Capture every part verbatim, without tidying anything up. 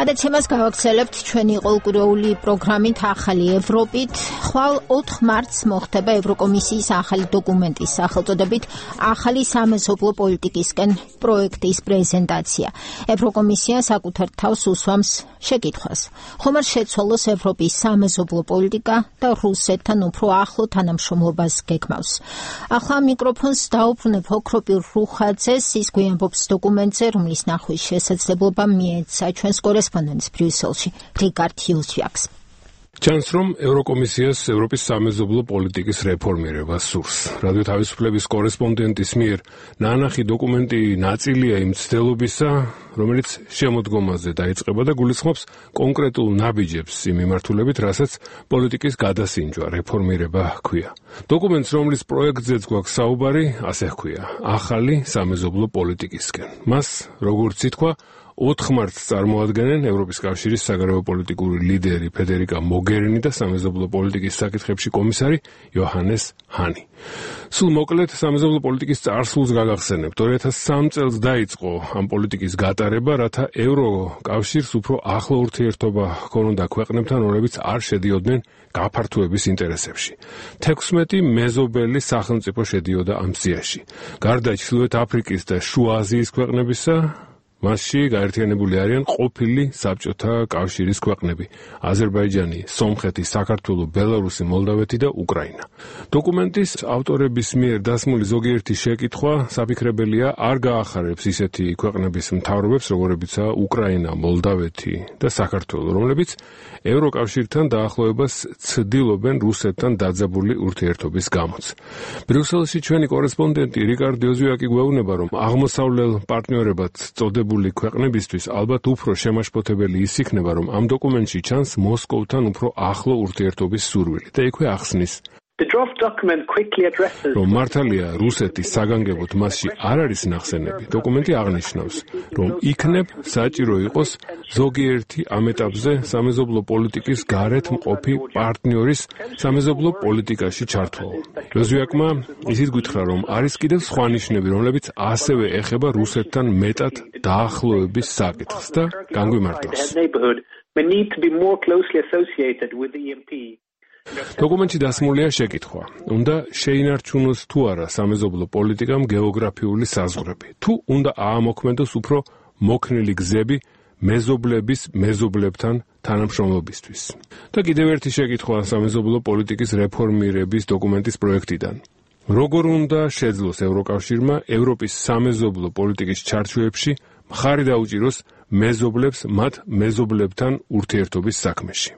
გადაცემას გავაგრძელებთ ჩვენი ყოველკვირეული პროგრამით ახალი ევროპით. ხვალ ოთხ მარტს მოხდება ევროკომისიის ახალი დოკუმენტის სახელწოდებით ახალი სამეზობლო პოლიტიკისკენ პროექტის პრეზენტაცია. ევროკომისია საკუთარ თავს უსვამს შეკითხვას. ხომ არ შეცვალოს ევროპის სამეზობლო პოლიტიკა და რუსეთთან უფრო ახლო თანამშრომლობას გეგმავს. ახლა მიკროფონს დაუბრუნებ ოქროპირ რუხაძეს, ის გვიამბობს დოკუმენტზე, რომლის ნახვის შესაძლებლობა მიეცა ჩვენს კორესპონდენტს ბრიუსელში რიკარდ იუსვიაკს. ჩანს, რომ ევროკომისიას ევროპის სამეზობლო პოლიტიკის რეფორმირება სურს. რადიო თავისუფლების კორესპონდენტის მიერ ნანახი დოკუმენტი ნაწილია იმ ცდელობისა, რომელიც შემოდგომაზე დაიწყება და გულისხმობს კონკრეტულ ნაბიჯებს იმ მიმართულებით, რასაც პოლიტიკის გადასინჯვა, რეფორმირება ჰქვია. დოკუმენტს, რომლის პროექტზეც გვაქვს საუბარი, ასე ჰქვია: ახალი სამეზობლო პოლიტიკისკენ. მას, როგორც ითქვა, ოთხ მარტს წარმოადგენენ ევროპის კავშირის საგარეო პოლიტიკური ლიდერი ფედერიკა მოგერინი და სამეზობლო პოლიტიკის საკითხებში კომისარი იოჰანეს ჰანი. სულ მოკლედ სამეზობლო პოლიტიკის წარსულს გაგახსენებთ. ორი ათას სამი წელს დაიწყო ამ პოლიტიკის გატარება, რათა ევროკავშირს უფრო ახლო ურთიერთობა ჰქონოდა ქვეყნებთან, რომლებიც არ შედიოდნენ გაფართოების ინტერესებში. თექვსმეტი მეზობელი სახელმწიფო შედიოდა ამ სიაში. გარდა ჩრდილოეთ აფრიკის და შუა აზიის ქვეყნებისა, მასში გაერთიანებული არიან ყოფილი საბჭოთა კავშირის ქვეყნები: აზერბაიჯანი, სომხეთი, საქართველო, ბელარუსი, მოლდავეთი და უკრაინა. დოკუმენტის ავტორების მიერ დასმული ზოგიერთი შეკითხვა საფიქრებელია, არ გაახარებს ისეთი ქვეყნების მთავრობებს, როგორებიცაა უკრაინა, მოლდავეთი და საქართველო, რომლებიც ევროკავშირთან დაახლოებას ცდილობენ რუსეთთან დაძაბული ურთიერთობის გამოც. ბრიუსელში ჩვენი კორესპონდენტი რიკარდ იოზვიაკი გვეუბნება, რომ აღმოსავლელ პარტნიორებად წოდებული ქვეყნებისთვის ალბათ უფრო შემაშფოთებელი ის იქნება, რომ ამ დოკუმენტში ჩანს მოსკოვთან უფრო ახლო ურთიერთობის სურვილი და იქვე ახსნის, რომ მართალია რუსეთის საგანგებოდ მასში არ არის ნახსენები. დოკუმენტი აღნიშნავს, რომ იქნებ საჭირო იყოს ზოგიერთი ამ ეტაპზე სამეზობლო პოლიტიკის გარეთ მყოფი პარტნიორის სამეზობლო პოლიტიკაში ჩართვაო. იოზვიაკმა ისიც გითხრა, რომ არის კიდევ სხვა ნიშნები, რომლებიც ასევე ეხება რუსეთთან მეტად დაახლოების საკითხს და განგვიმარტავს. დოკუმენტში დასმულია შეკითხვა: უნდა შეინარჩუნოს თუ არა სამეზობლო პოლიტიკამ გეოგრაფიული საზღვრები, თუ უნდა აამოქმედოს უფრო მოქნილი გზები მეზობლების მეზობლებთან თანამშრომლობისთვის. და კიდევ ერთი შეკითხვა სამეზობლო პოლიტიკის რეფორმირების დოკუმენტის პროექტიდან: როგორ უნდა შეძლოს ევროკავშირმა ევროპის სამეზობლო პოლიტიკის ჩარჩოებში მხარი დაუჭიროს მეზობლებს მათ მეზობლებთან ურთიერთობის საქმეში.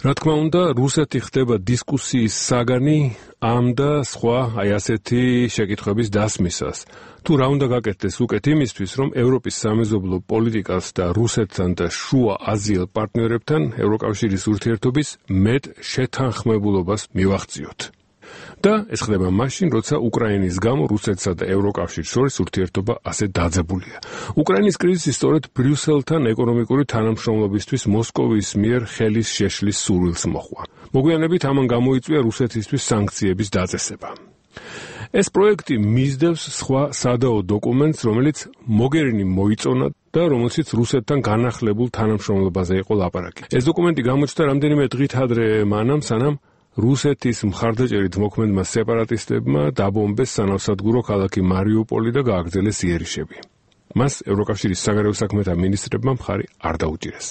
რა თქმა უნდა, რუსეთი ხდება დისკუსიის საგანი ამ და სხვა აი ასეთი შეკითხვების დასმისას. თუ რა უნდა გაკეთდეს უკეთ იმისთვის, რომ ევროპის სამეზობლო პოლიტიკას და რუსეთთან და შუა აზიელ პარტნიორებთან ევროკავშირის ურთიერთობის მეტ შეთანხმებულობას მივახციოთ. და ეს ხდება მაშინ, როცა უკრაინის გამო რუსეთსა და ევროკავშირს შორის ურთიერთობა ასე დაძაბულია. უკრაინის კრიზისი სწორედ ბრიუსელთან ეკონომიკური თანამშრომლობისთვის მოსკოვის მიერ ხელის შეშლის სურვილს მოჰყვა. მოგვიანებით ამან გამოიწვია რუსეთისთვის სანქციების დაწესება. ეს პროექტი მისდევს სხვა სადაო დოკუმენტს, რომელიც მოგერინი მოიწონა და რომელშიც რუსეთთან განახლებულ თანამშრომლობაზე იყო ლაპარაკი. ეს დოკუმენტი გამოჩნდა რამდენიმე დღით ადრე მანამ, სანამ რუსეთის მხარდაჭერით მოქმედმა სეპარატისტებმა დაბომბეს სანავსადგურო ქალაქი მარიუპოლი და გააგრძელეს იერიშები. მას ევროკავშირის საგარეო საქმეთა მინისტრებმა მხარი არ დაუჭირეს.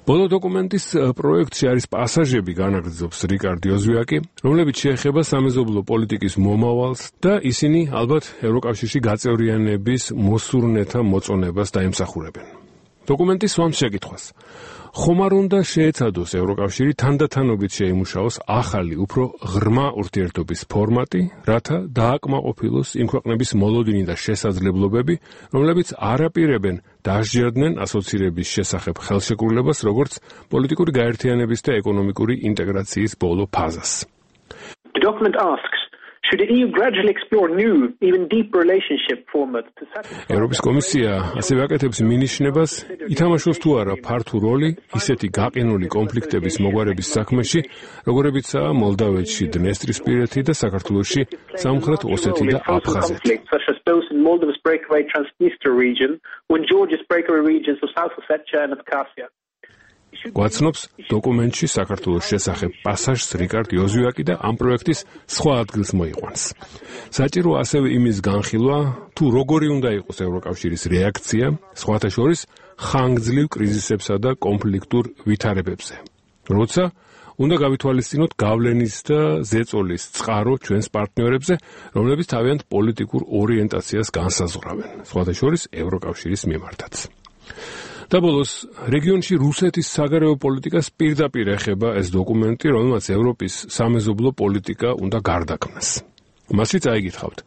ბოლო დოკუმენტის პროექტში არის პასაჟები, განაგრძობს რიკარდ იოზვიაკი, რომლებიც შეეხება სამეზობლო პოლიტიკის მომავალს და ისინი ალბათ ევროკავშირში გაწევრიანების მოსურნეთა მოწონებას დაემსახურებენ. დოკუმენტი სვამს შეკითხვას: ხომ არ უნდა შეეცადოს ევროკავშირი თანდათანობით შეიმუშაოს ახალი, უფრო ღრმა ურთიერთობის ფორმატი, რათა დააკმაყოფილოს იმ ქვეყნების მოლოდინი და შესაძლებლობები, რომლებიც არ აპირებენ დასჯერდნენ ასოცირების შესახებ ხელშეკრულებას, როგორც პოლიტიკური გაერთიანების და ეკონომიკური ინტეგრაციის ბოლო ფაზას. The document asks, should the E U gradually explore new, even deeper relationship formats to satisfy... ევროპის კომისია ასევე აკეთებს მინიშნებას, ითამაშოს თუ არა ფართო როლი ისეთი გაყინული კონფლიქტების მოგვარების საქმეში, როგორებიცაა მოლდავეთში დნესტრისპირეთი და საქართველოში სამხრეთ ოსეთი და აფხაზეთი. such as those in Moldova's breakaway Transnistria region, or in Georgia's breakaway regions of South Ossetia and Abkhazia. გვაცნობს დოკუმენტში საქართველოს შესახებ პასაჟს რიკარდ იოზვიაკი და ამ პროექტის სხვა ადგილს მოიყვანს. საჭირო ასევე იმის განხილვა, თუ როგორი უნდა იყოს ევროკავშირის რეაქცია, სხვათა შორის ხანგრძლივ კრიზისებსა და კონფლიქტურ ვითარებებზე. როცა უნდა გავითვალისწინოთ გავლენის და ზეწოლის წყარო ჩვენს პარტნიორებზე, რომლებიც თავიანთ პოლიტიკურ ორიენტაციას განსაზღვრავენ, სხვათა შორის ევროკავშირის მიმართაც. და ბოლოს, რეგიონში რუსეთის საგარეო პოლიტიკას პირდაპირ ეხება ეს დოკუმენტი, რომელმაც ევროპის სამეზობლო პოლიტიკა უნდა გარდაქმნას. მასში წაიგითხავთ,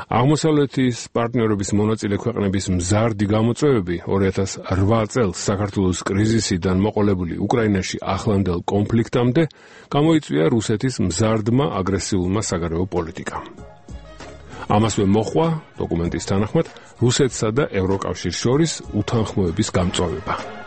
აღმოსავლეთის პარტნიორების მონაწილე ქვეყნების მზარდი გამოწვევები ორი ათას რვა წელს საქართველოს კრიზისიდან მოყოლებული უკრაინაში ახლანდელ კონფლიქტამდე გამოიწვია რუსეთის მზარდმა აგრესიულმა საგარეო პოლიტიკამ. ამასვე მოჰყვა დოკუმენტის თანახმად რუსეთსა და ევროკავშირს შორის უთანხმოების გამწვავება.